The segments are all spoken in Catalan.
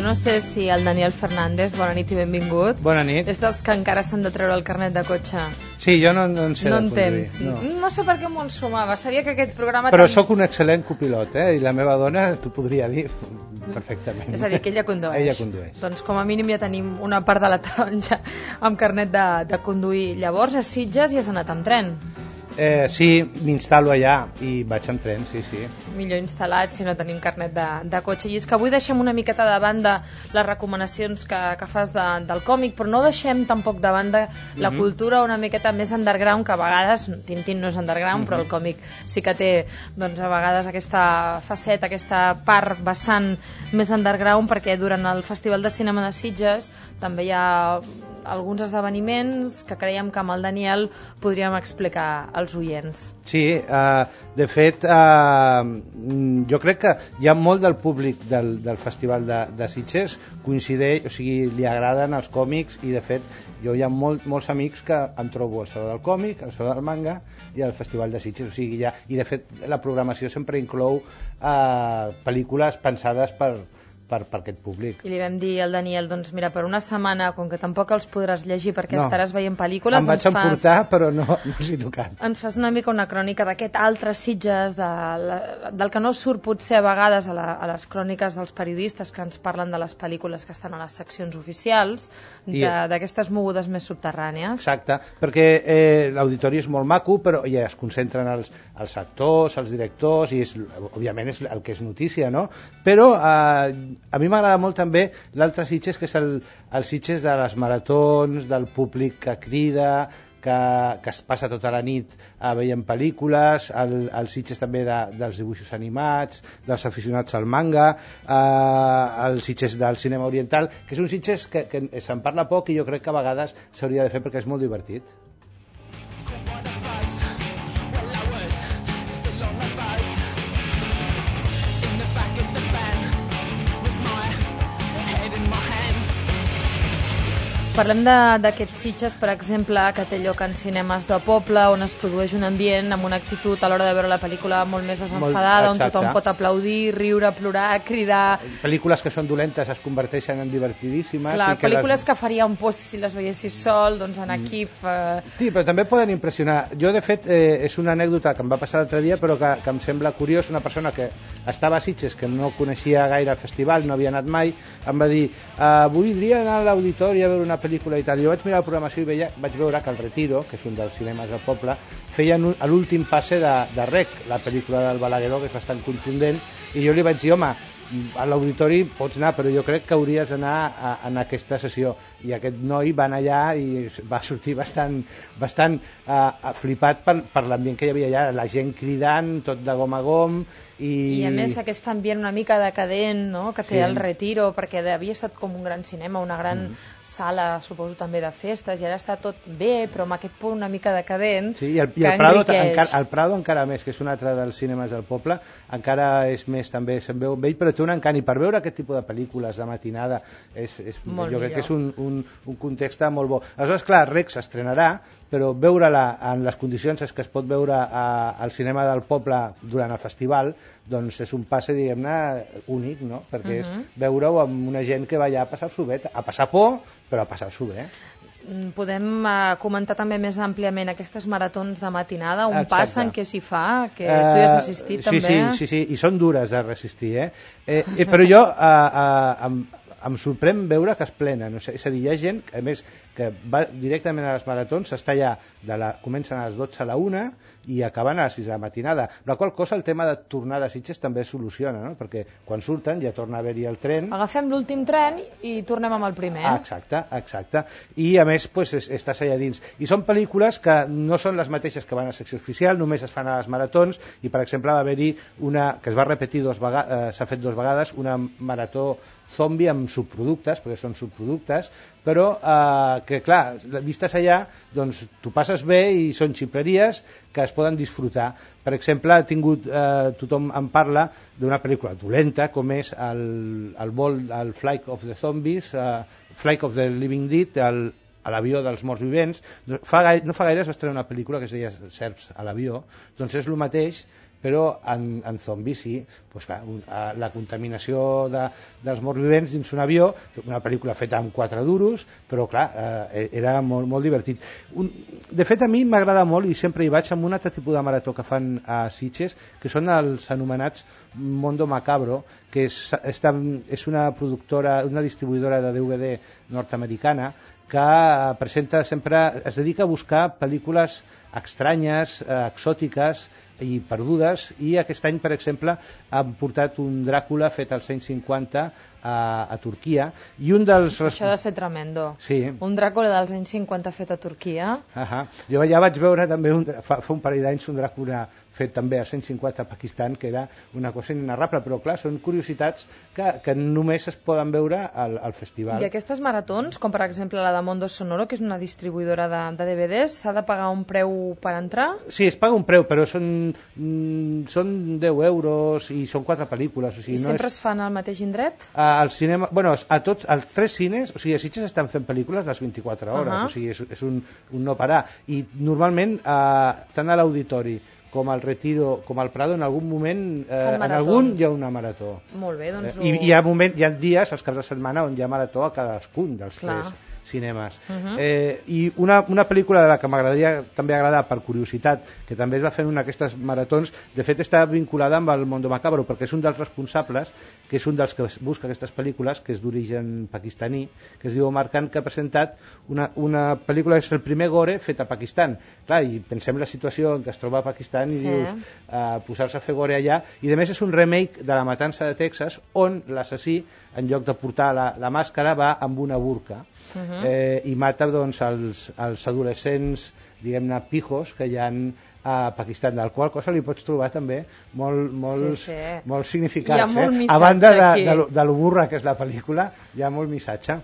no sé si el Daniel Fernández, bona nit i benvingut. Bona nit. És dels que encara s'han de treure el carnet de cotxe. Sí, jo no en sé no de conduir. No sé per què m'ho ensumava. Sabia que aquest programa... Però sóc un excel·lent copilot, I la meva dona t'ho podria dir perfectament. És a dir, que ella condueix. Ella condueix. Doncs com a mínim ja tenim una part de la taronja amb carnet de conduir. Llavors, a Sitges hi has anat amb tren. Sí, m'instal·lo allà i vaig amb tren, sí. Millor instal·lat si no tenim carnet de cotxe. I és que avui deixem una miqueta de banda les recomanacions que fas del còmic, però no deixem tampoc de banda la cultura una miqueta més underground, que a vegades, Tintín no és underground, però el còmic sí que té doncs, a vegades aquesta faceta, aquesta part vessant més underground, perquè durant el Festival de Cinema de Sitges també hi ha alguns esdeveniments que creiem que amb el Daniel podríem explicar als oients. Sí, de fet, jo crec que hi ha molt del públic del Festival de Sitges coincideix, o sigui, li agraden els còmics i de fet jo hi ha molts amics que em trobo al Saló del Còmic, al Saló del Manga i al Festival de Sitges, o sigui, i de fet la programació sempre inclou pel·lícules pensades per aquest públic. I li vam dir al Daniel, doncs mira, per una setmana, com que tampoc els podràs llegir perquè estaràs veient pel·lícules... Em vaig emportar, però no els he tocat. Ens fas una mica una crònica d'aquest altre Sitges, del que no surt potser a vegades a les cròniques dels periodistes que ens parlen de les pel·lícules que estan a les seccions oficials, d'aquestes mogudes més subterrànies. Exacte, perquè l'auditori és molt maco, però ja es concentren els actors, els directors, i òbviament és el que és notícia, no? Però a mi m'agrada molt també l'altre Sitges, que és el Sitges de les maratons, del públic que crida, que es passa tota la nit veient pel·lícules, el Sitges també dels dibuixos animats, dels aficionats al manga, el Sitges del cinema oriental, que és un Sitges que se'n parla poc i jo crec que a vegades s'hauria de fer perquè és molt divertit. Parlem d'aquests Sitges, per exemple, que té lloc en cinemes de poble, on es produeix un ambient amb una actitud a l'hora de veure la pel·lícula molt més desenfadada, on tothom pot aplaudir, riure, plorar, cridar... Pel·lícules que són dolentes es converteixen en divertidíssimes. Clar, pel·lícules que farien por si les veiessis sol, doncs en equip... Sí, però també poden impressionar. Jo, de fet, és una anècdota que em va passar l'altre dia, però que em sembla curiós. Una persona que estava a Sitges, que no coneixia gaire el festival, no havia anat mai, em va dir, voldria anar a l'auditori a veure una pel·lícula i tal. Jo vaig mirar la programació i vaig veure que el Retiro, que és un dels cinemes del poble, feien l'últim passe de Rec, la pel·lícula del Balagueró, que és bastant contundent, i jo li vaig dir, home, a l'auditori pots anar, però jo crec que hauries d'anar en aquesta sessió. I aquest noi va anar allà i va sortir bastant flipat per l'ambient que hi havia allà, la gent cridant, tot de gom a gom. I a més aquest ambient una mica decadent, no?, que té el Retiro, perquè havia estat com un gran cinema, una gran sala, suposo també de festes, i ara està tot bé, però amb aquest punt una mica decadent. Sí, i el Prado encara més, que és un altre dels cinemes del poble, encara és més, també se'n veu vell, però té un encant, i per veure aquest tipus de pel·lícules de matinada jo crec que és un context molt bo. Aleshores, clar, Rex s'estrenarà, però veure-la en les condicions que es pot veure al cinema del poble durant el festival, doncs és un passe, diguem-ne, únic, no? Perquè és veure-ho amb una gent que va allà a passar-s'ho bé, a passar por, però a passar-s'ho bé. Podem comentar també més àmpliament aquestes maratons de matinada, on passen, què s'hi fa, que tu hi has assistit també. Sí, i són dures de resistir, però jo em sorprèn veure que es plenen, és a dir, hi ha gent, a més, que va directament a les maratons, està allà, comencen a les 12 a la 1 i acaben a les 6 de la matinada, la qual cosa el tema de tornar de Sitges també es soluciona, no? Perquè quan surten ja torna a haver-hi el tren. Agafem l'últim tren i tornem amb el primer. Exacte. I a més, estàs allà dins. I són pel·lícules que no són les mateixes que van a secció oficial, només es fan a les maratons, i per exemple va haver-hi una que es va repetir s'ha fet 2 vegades, una marató zombi amb subproductes, perquè són subproductes, però que clar, vistes allà, doncs tu passes bé i són ximpleries que es poden disfrutar. Per exemple, tothom en parla d'una pel·lícula dolenta com és el Flight of the Zombies, Flight of the Living Dead, a l'avió dels morts vivents. No fa gaire es va estrenar una pel·lícula que es deia Serps a l'avió, doncs és el mateix, però en zombis sí. Pues clar, la contaminació dels morts vivents dins un avió, una pel·lícula feta amb 4 duros, però clar, era molt, molt divertit. De fet, a mi m'agrada molt, i sempre hi vaig, amb un altre tipus de marató que fan a Sitges, que són els anomenats Mondo Macabro, que és una productora, una distribuïdora de DVD nord-americana, que presenta sempre, es dedica a buscar pel·lícules estranyes, exòtiques i perdudes, i aquest any, per exemple, han portat un Dràcula fet als anys 50 a Turquia, i un dels... Això ha de ser tremendo. Sí. Un Dràcula dels anys 50 fet a Turquia. Jo ja vaig veure també fa un parell d'anys un Dràcula fet també als anys 50 a Pakistan, que era una cosa inenarrable, però clar, són curiositats que només es poden veure al festival. I aquestes maratons, com per exemple la de Mondo Sonoro, que és una distribuïdora de DVDs, s'ha de pagar un preu per entrar? Sí, es paga un preu, però són 10 euros i són 4 pel·lícules. O sigui, I sempre es fan al mateix indret? Al cinema, bueno, als 3 cines, o sigui, a Sitges estan fent pel·lícules les 24 hores, o sigui, és un no parar. I normalment, tant a l'Auditori com al Retiro, com al Prado, en algun moment, en algun hi ha una marató. Molt bé, doncs... I hi ha dies, als caps de setmana, on hi ha marató a cadascun dels 3 cinemes. I una pel·lícula de la que m'agradaria també agradar per curiositat, que també es va fer en una d'aquestes maratons, de fet està vinculada amb el Mondo Macabro, perquè és un dels responsables, que és un dels que busca aquestes pel·lícules, que és d'origen pakistaní, que es diu Omar Khan, que ha presentat una pel·lícula que és el primer gore fet a Pakistan. Clar, i pensem la situació en què es troba a Pakistan i dius, posar-se a fer gore allà, i a més és un remake de La matança de Texas, on l'assassí, en lloc de portar la màscara, va amb una burca. I mata doncs els adolescents, diguem-ne, pijos que hi ha a Pakistan, del qual cosa li pots trobar també molts significats. A banda de lo burra que és la pel·lícula, hi ha molt missatge.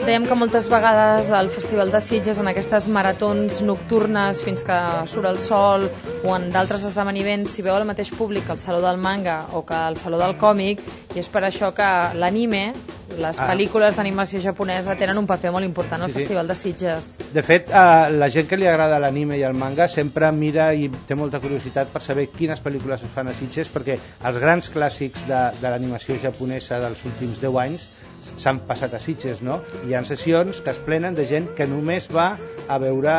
Dèiem que moltes vegades al Festival de Sitges, en aquestes maratons nocturnes fins que surt el sol, o en d'altres esdeveniments, s'hi veu el mateix públic al Saló del Manga o que al Saló del Còmic, i és per això que l'anime, les pel·lícules d'animació japonesa, tenen un paper molt important al Festival de Sitges. De fet, la gent que li agrada l'anime i el manga sempre mira i té molta curiositat per saber quines pel·lícules es fan a Sitges, perquè els grans clàssics de l'animació japonesa dels últims 10 anys s'han passat a Sitges, no? Hi ha sessions que es plenen de gent que només va a veure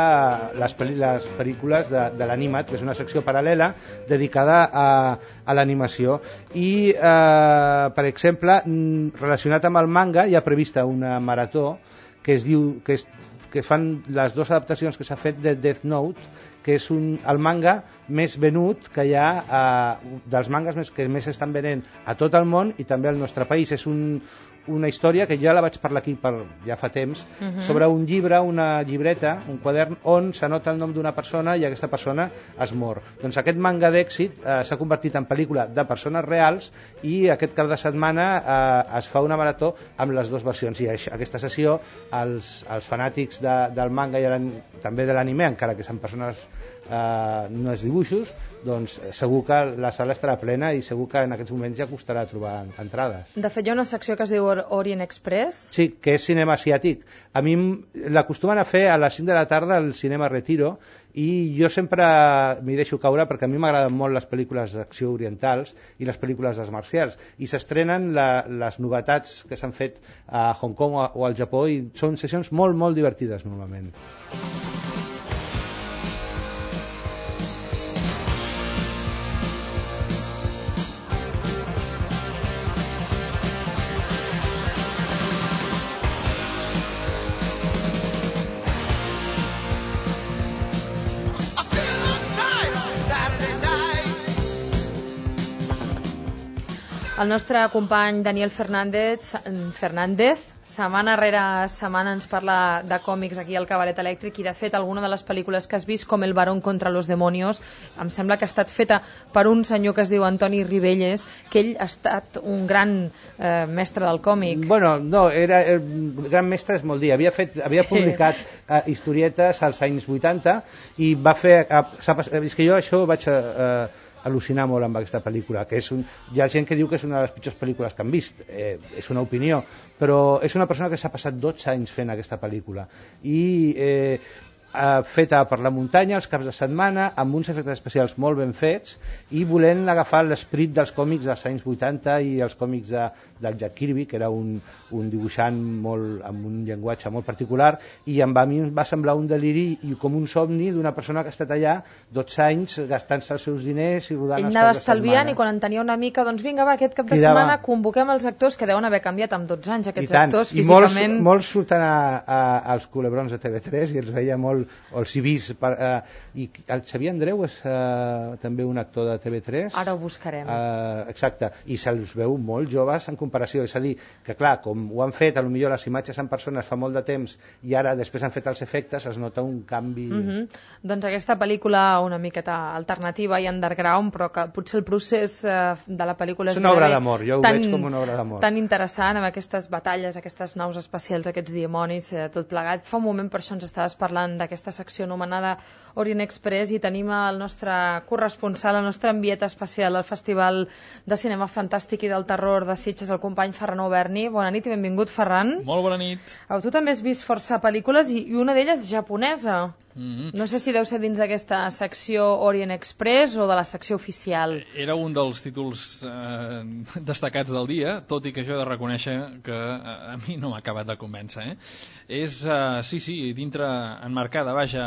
les pel·lícules de l'animat, que és una secció paral·lela dedicada a l'animació. I, per exemple, relacionat amb el manga, hi ha prevista una marató que es diu que fan les 2 adaptacions que s'ha fet de Death Note, que és el manga més venut que hi ha, dels mangas que més estan venent a tot el món i també al nostre país. És una història que ja la vaig parlar aquí ja fa temps, sobre un llibre, una llibreta, un quadern, on s'anota el nom d'una persona i aquesta persona es mor. Doncs aquest manga d'èxit s'ha convertit en pel·lícula de persones reals, i aquest cap de setmana es fa una marató amb les 2 versions. I aquesta sessió, els fanàtics del manga i també de l'anime, encara que són persones no és dibuixos, doncs segur que la sala estarà plena i segur que en aquests moments ja costarà trobar entrades. De fet, hi ha una secció que es diu Orient Express. Sí, que és cinema asiàtic. A mi l'acostumen a fer a les 5 de la tarda al cinema Retiro, i jo sempre m'hi deixo caure perquè a mi m'agraden molt les pel·lícules d'acció orientals i les pel·lícules d'arts marcials, i s'estrenen les novetats que s'han fet a Hong Kong o al Japó, i són sessions molt, molt divertides normalment. El nostre company Daniel Fernández, setmana rere setmana ens parla de còmics aquí al Cabaret Elèctric, i de fet alguna de les pel·lícules que has vist, com El barón contra los demonios, em sembla que ha estat feta per un senyor que es diu Antoni Ribelles, que ell ha estat un gran mestre del còmic. Bueno, no, el gran mestre és molt dir. Havia publicat historietes als anys 80 i va fer... És que jo això vaig al·lucinar molt amb aquesta pel·lícula, que hi ha gent que diu que és una de les pitjors pel·lícules que han vist, és una opinió, però és una persona que s'ha passat 12 anys fent aquesta pel·lícula i feta per la muntanya, els caps de setmana, amb uns efectes especials molt ben fets i volent agafar l'esperit dels còmics dels anys 80 i els còmics del Jack Kirby, que era un dibuixant amb un llenguatge molt particular, i a mi em va semblar un deliri i com un somni d'una persona que ha estat allà 12 anys gastant-se els seus diners i rodant els caps de setmana. Ell anava estalviant i quan en tenia una mica, doncs vinga, va, aquest cap de setmana convoquem els actors, que deuen haver canviat amb 12 anys aquests actors físicament. I molts surten als culebrons de TV3 i els veia molt, o els he vist i el Xavier Andreu és també un actor de TV3. Ara ho buscarem. Exacte, i se'ls veu molt joves en comparació, és a dir, que clar, com ho han fet, potser les imatges en persones fa molt de temps i ara després han fet els efectes, es nota un canvi. Doncs aquesta pel·lícula una miqueta alternativa i underground, però que potser el procés de la pel·lícula és una obra d'amor, jo ho veig com una obra d'amor. Tan interessant, amb aquestes batalles, aquestes naus espacials, aquests dimonis, tot plegat. Fa un moment per això ens estaves parlant d'aquesta secció anomenada Orient Express i tenim el nostre corresponsal, el nostre enviat especial al Festival de Cinema Fantàstic i del Terror de Sitges, el company Ferran Auberni. Bona nit i benvingut, Ferran. Molt bona nit. Tu també has vist força pel·lícules i una d'elles japonesa. No sé si deu ser dins d'aquesta secció Orient Express o de la secció oficial. Era un dels títols destacats del dia, tot i que jo he de reconèixer que a mi no m'ha acabat de convèncer. És, sí, dintre, enmarcada, vaja,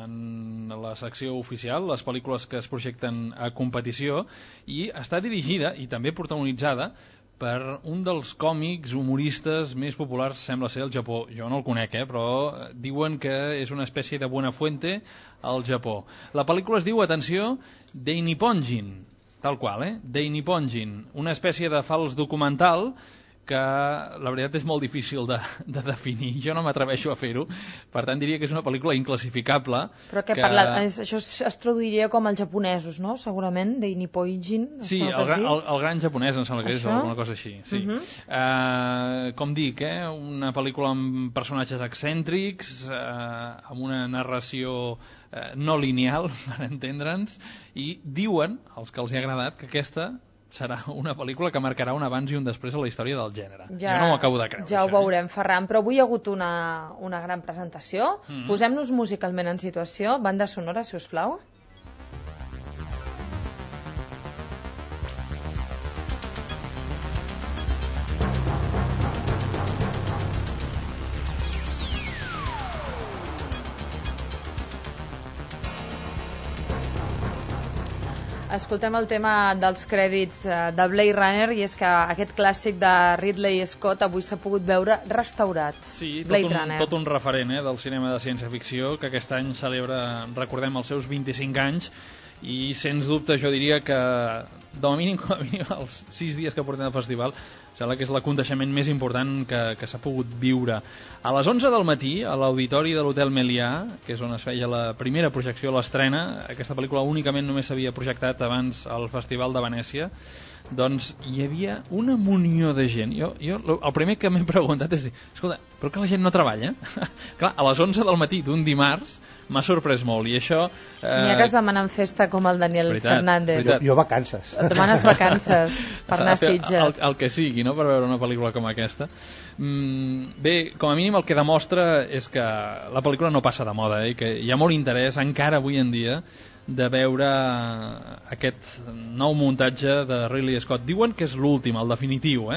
en la secció oficial, les pel·lícules que es projecten a competició, i està dirigida i també protagonitzada per un dels còmics humoristes més populars, sembla ser, al Japó. Jo no el conec, però diuen que és una espècie de Buenafuente al Japó. La pel·lícula es diu, atenció, Dainiponjin, tal qual, Dainiponjin, una espècie de fals documental que la veritat és molt difícil de definir. Jo no m'atreveixo a fer-ho, per tant diria que és una pel·lícula inclassificable. Però això es traduiria com els japonesos, no? Segurament, Dainiponjin. Sí, el gran japonès, em sembla que és alguna cosa així. Sí. Com dic, una pel·lícula amb personatges excèntrics, amb una narració no lineal, per entendre'ns, i diuen, els que els hi ha agradat, que aquesta serà una pel·lícula que marcarà un abans i un després a la història del gènere. Jo no ho acabo de creure. Ja ho veurem, Ferran, però avui hi ha hagut una gran presentació. Posem-nos musicalment en situació. Banda sonora, si us plau. Escoltem el tema dels crèdits de Blade Runner, i és que aquest clàssic de Ridley Scott avui s'ha pogut veure restaurat. Sí, tot un referent del cinema de ciència-ficció, que aquest any celebra, recordem, els seus 25 anys, i sens dubte jo diria que com a mínim els 6 dies que portem al festival sembla que és l'aconteixement més important que s'ha pogut viure. A les 11 del matí, a l'auditori de l'Hotel Melià, que és on es feia la primera projecció, l'estrena, aquesta pel·lícula únicament només s'havia projectat abans al Festival de Venècia, doncs hi havia una munió de gent. Jo el primer que m'he preguntat és dir, escolta, però que la gent no treballa? Clar, a les 11 del matí d'un dimarts m'ha sorprès molt, i això... N'hi ha que es demanen festa com el Daniel Fernández. Jo vacances. Et demanes vacances per anar a Sitges. El que sigui, no?, per veure una pel·lícula com aquesta. Bé, com a mínim el que demostra és que la pel·lícula no passa de moda, i que hi ha molt interès encara avui en dia de veure aquest nou muntatge de Ridley Scott. Diuen que és l'últim, el definitiu,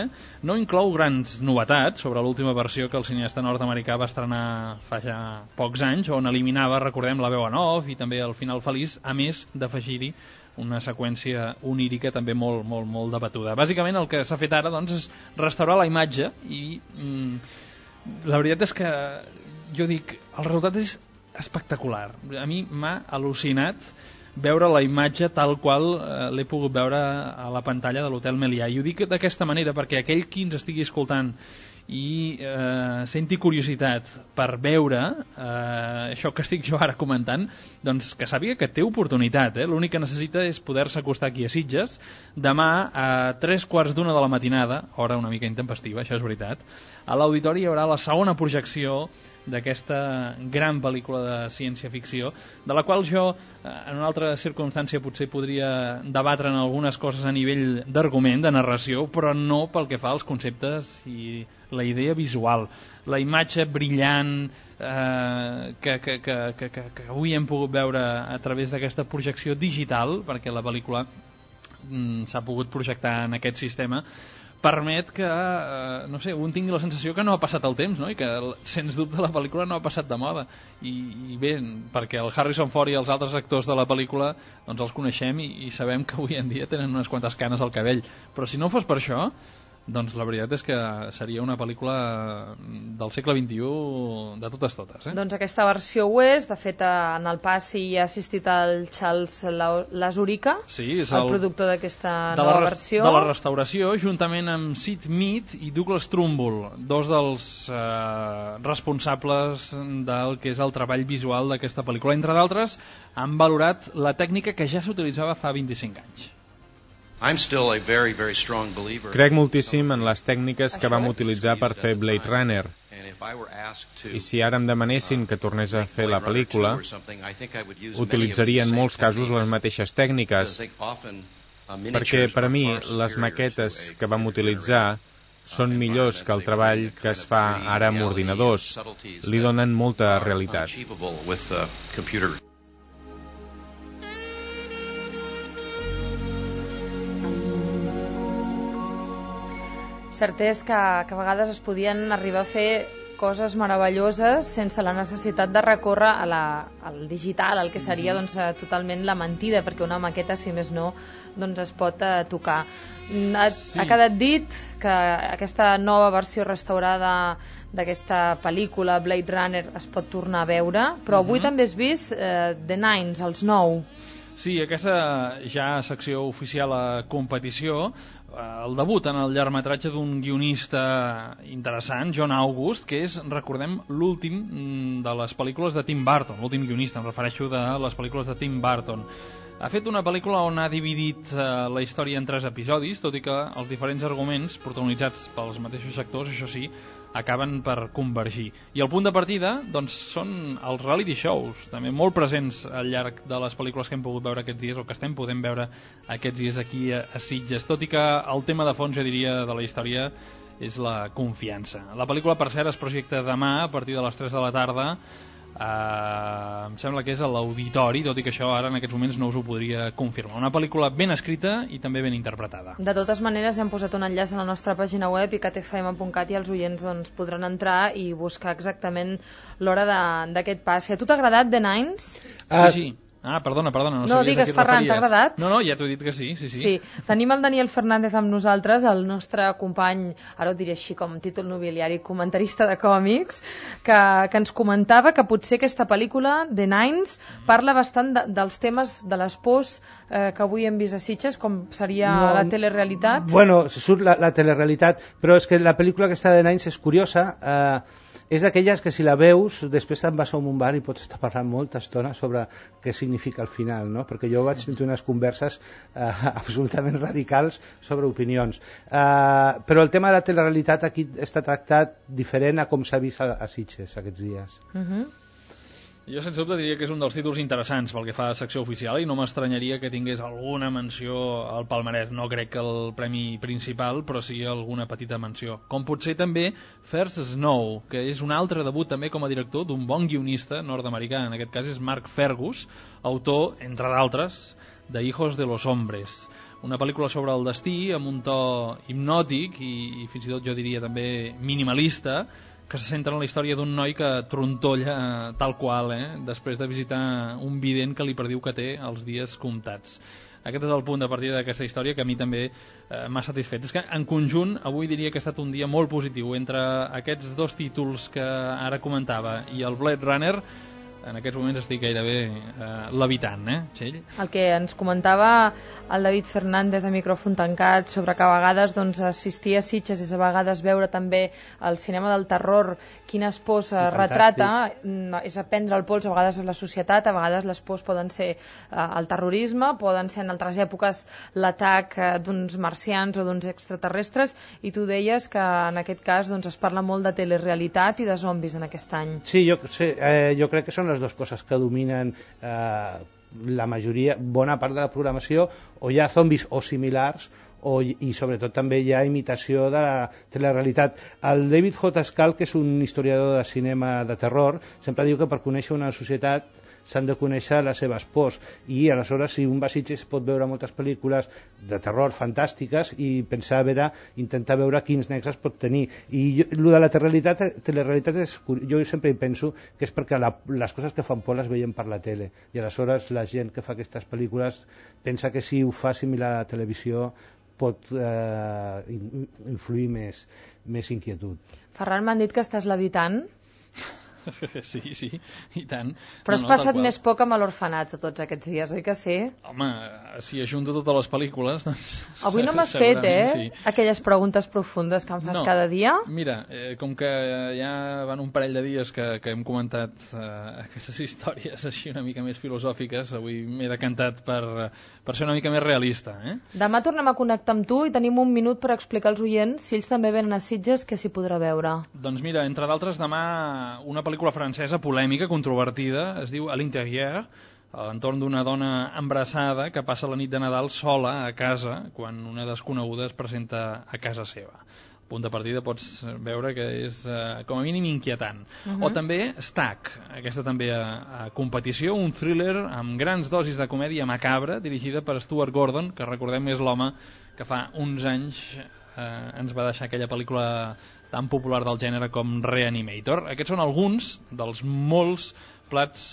No inclou grans novetats sobre l'última versió que el cineasta nord-americà va estrenar fa ja pocs anys, on eliminava, recordem, la veu en off i també el final feliç, a més d'afegir-hi una seqüència onírica també molt, molt, molt debatuda. Bàsicament el que s'ha fet ara, doncs, és restaurar la imatge, i la veritat és que jo dic, el resultat és espectacular. A mi m'ha al·lucinat veure la imatge tal qual l'he pogut veure a la pantalla de l'Hotel Melià. I ho dic d'aquesta manera perquè aquell qui ens estigui escoltant i senti curiositat per veure això que estic jo ara comentant, doncs que sàpiga que té oportunitat, l'únic que necessita és poder-se acostar aquí a Sitges demà a 3:15 de la matinada, hora una mica intempestiva, això és veritat. A l'auditori hi haurà la segona projecció d'aquesta gran pel·lícula de ciència-ficció, de la qual jo, en una altra circumstància, potser podria debatre en algunes coses a nivell d'argument, de narració, però no pel que fa als conceptes i la idea visual. La imatge brillant que avui hem pogut veure a través d'aquesta projecció digital, perquè la pel·lícula s'ha pogut projectar en aquest sistema, permet que, no sé, un tingui la sensació que no ha passat el temps, no? I que, sens dubte, la pel·lícula no ha passat de moda. I bé, perquè el Harrison Ford i els altres actors de la pel·lícula doncs els coneixem i sabem que avui en dia tenen unes quantes canes al cabell. Però si no fos per això, doncs la veritat és que seria una pel·lícula del segle XXI de totes. Doncs aquesta versió ho és. De fet, en el passi hi ha assistit el Charles Lazurica, sí, és el productor d'aquesta nova versió. De la restauració, juntament amb Sid Mead i Douglas Trumbull, dos dels responsables del que és el treball visual d'aquesta pel·lícula. Entre d'altres, han valorat la tècnica que ja s'utilitzava fa 25 anys. Crec moltíssim en les tècniques que vam utilitzar per fer Blade Runner. I si ara em demanessin que tornés a fer la pel·lícula, utilitzaria en molts casos les mateixes tècniques, perquè per a mi les maquetes que vam utilitzar són millors que el treball que es fa ara amb ordinadors. Li donen molta realitat. Cert és que a vegades es podien arribar a fer coses meravelloses sense la necessitat de recórrer al digital, el que seria doncs, totalment la mentida, perquè una maqueta, si més no, doncs es pot tocar. Ha quedat dit que aquesta nova versió restaurada d'aquesta pel·lícula Blade Runner es pot tornar a veure, però avui també has vist The Nines, els 9. Sí, aquesta ja secció oficial a competició, el debut en el llargmetratge d'un guionista interessant, John August, que és, recordem, l'últim de les pel·lícules de Tim Burton, l'últim guionista, em refereixo de les pel·lícules de Tim Burton. Ha fet una pel·lícula on ha dividit la història en 3 episodis, tot i que els diferents arguments, protagonitzats pels mateixos actors, això sí, acaben per convergir. I el punt de partida doncs, són els reality shows, també molt presents al llarg de les pel·lícules que hem pogut veure aquests dies, o que estem podent veure aquests dies aquí a Sitges, tot i que el tema de fons, jo diria, de la història és la confiança. La pel·lícula, per cert, es projecta demà a partir de les 3 de la tarda. Em sembla que és a l'auditori, tot i que això ara en aquests moments no us ho podria confirmar. Una pel·lícula ben escrita i també ben interpretada. De totes maneres, hem posat un enllaç a la nostra pàgina web icatfm.cat i els oients doncs, podran entrar i buscar exactament l'hora d'aquest pas. A tu t'ha agradat The Nines? Sí. Ah, perdona, no digues, Ferran, t'ha agradat? No, ja t'ho he dit que sí. Sí, tenim el Daniel Fernández amb nosaltres, el nostre company, ara ho diré així com títol nobiliari, comentarista de còmics, que ens comentava que potser aquesta pel·lícula, The Nines, parla bastant dels temes de les pors que avui hem vist a Sitges, com seria la telerealitat. Bueno, surt la telerealitat, però és que la pel·lícula aquesta de Nines és curiosa, és d'aquelles que si la veus després te'n vas a un bar i pots estar parlant molta estona sobre què significa el final, no? Perquè jo vaig tenir unes converses absolutament radicals sobre opinions, però el tema de la telerealitat aquí està tractat diferent a com s'ha vist a Sitges aquests dies. Jo sense dubte diria que és un dels títols interessants pel que fa a secció oficial i no m'estranyaria que tingués alguna menció al palmarès. No crec que el premi principal, però sí alguna petita menció. Com potser també First Snow, que és un altre debut també com a director d'un bon guionista nord-americà, en aquest cas és Mark Fergus, autor, entre d'altres, de Hijos de los Hombres. Una pel·lícula sobre el destí amb un to hipnòtic i fins i tot jo diria també minimalista, que se centra en la història d'un noi que trontolla tal qual, després de visitar un vident que li prediu que té els dies comptats. Aquest és el punt de partida d'aquesta història que a mi també m'ha satisfet. És que en conjunt avui diria que ha estat un dia molt positiu. Entre aquests dos títols que ara comentava i el Blade Runner, en aquests moments estic gairebé levitant, Txell? El que ens comentava el David Fernández a micròfon tancat sobre que a vegades doncs, assistir a Sitges és a vegades veure també el cinema del terror, quines pors retrata, és aprendre el pols a vegades a la societat, a vegades les pors poden ser el terrorisme, poden ser en altres èpoques l'atac d'uns marcians o d'uns extraterrestres, i tu deies que en aquest cas doncs, es parla molt de telerealitat i de zombis en aquest any. Sí, jo crec que són les dues coses que dominen la majoria, bona part de la programació, o hi ha zombis o similars, i sobretot també hi ha imitació de la telerealitat. El David J. Skal, que és un historiador de cinema de terror, sempre diu que per conèixer una societat s'han de conèixer les seves pors, i aleshores si un va a Sitges pot veure moltes pel·lícules de terror fantàstiques i intentar veure quins nexes pot tenir. I el de la telerealitat jo sempre penso que és perquè les coses que fan por les veiem per la tele, i aleshores la gent que fa aquestes pel·lícules pensa que si ho fa similar a la televisió pot influir més inquietud. Ferran, m'han dit que estàs levitant. Sí, i tant. Però has passat més poc amb l'orfenat tots aquests dies, oi que sí? Home, si ajunto totes les pel·lícules, doncs... Avui no m'has fet, sí. Aquelles preguntes profundes que em fas cada dia? Mira, com que ja van un parell de dies que hem comentat aquestes històries així una mica més filosòfiques, avui m'he decantat per ser una mica més realista. Demà tornem a connectar amb tu i tenim un minut per explicar als oients, si ells també venen a Sitges, què s'hi podrà veure. Doncs mira, entre d'altres, demà una pel·lícula francesa polèmica, controvertida, es diu A l'Intérieur, a l'entorn d'una dona embarassada que passa la nit de Nadal sola a casa quan una desconeguda es presenta a casa seva. El punt de partida pots veure que és com a mínim inquietant. O també Stack, aquesta també a competició, un thriller amb grans dosis de comèdia macabra, dirigida per Stuart Gordon, que recordem és l'home que fa uns anys ens va deixar aquella pel·lícula tan popular del gènere com Reanimator. Aquests són alguns dels molts plats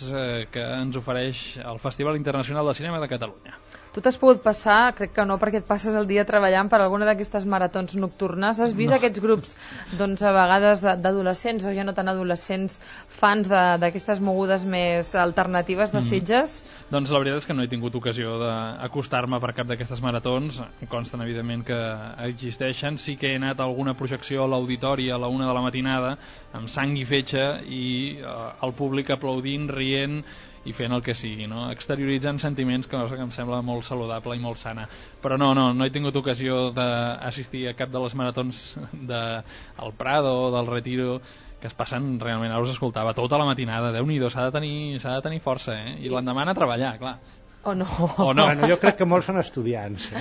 que ens ofereix el Festival Internacional de Cinema de Catalunya. Tu t'has pogut passar, crec que no, perquè et passes el dia treballant per alguna d'aquestes maratons nocturnes. Has vist aquests grups, doncs, a vegades d'adolescents, o ja no tan adolescents, fans d'aquestes mogudes més alternatives de Sitges? Doncs la veritat és que no he tingut ocasió d'acostar-me per cap d'aquestes maratons. Em consten, evidentment, que existeixen. Sí que he anat a alguna projecció a l'auditori a la 1 de la matinada, amb sang i fetge, i el públic aplaudint, rient i fent el que sigui, no? Exterioritzant sentiments, que em sembla molt saludable i molt sana. Però no he tingut ocasió d'assistir a cap de les maratons del Prado o del Retiro, que es passen realment, ara us escoltava tota la matinada. Déu-n'hi-do, s'ha de tenir força, I l'endemà anar a treballar, clar. O no. Bueno, jo crec que molts són estudiants.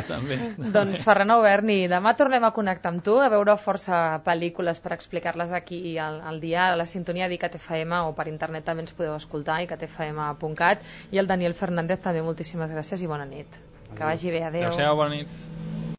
També. Doncs Ferran Auberni, demà tornem a connectar amb tu, a veure força pel·lícules per explicar-les aquí al dia, a la sintonia d'ICAT FM, o per internet també ens podeu escoltar, icatfm.cat, i el Daniel Fernández també, moltíssimes gràcies i bona nit. Que vagi bé, adeu. Adéu-siau, bona nit.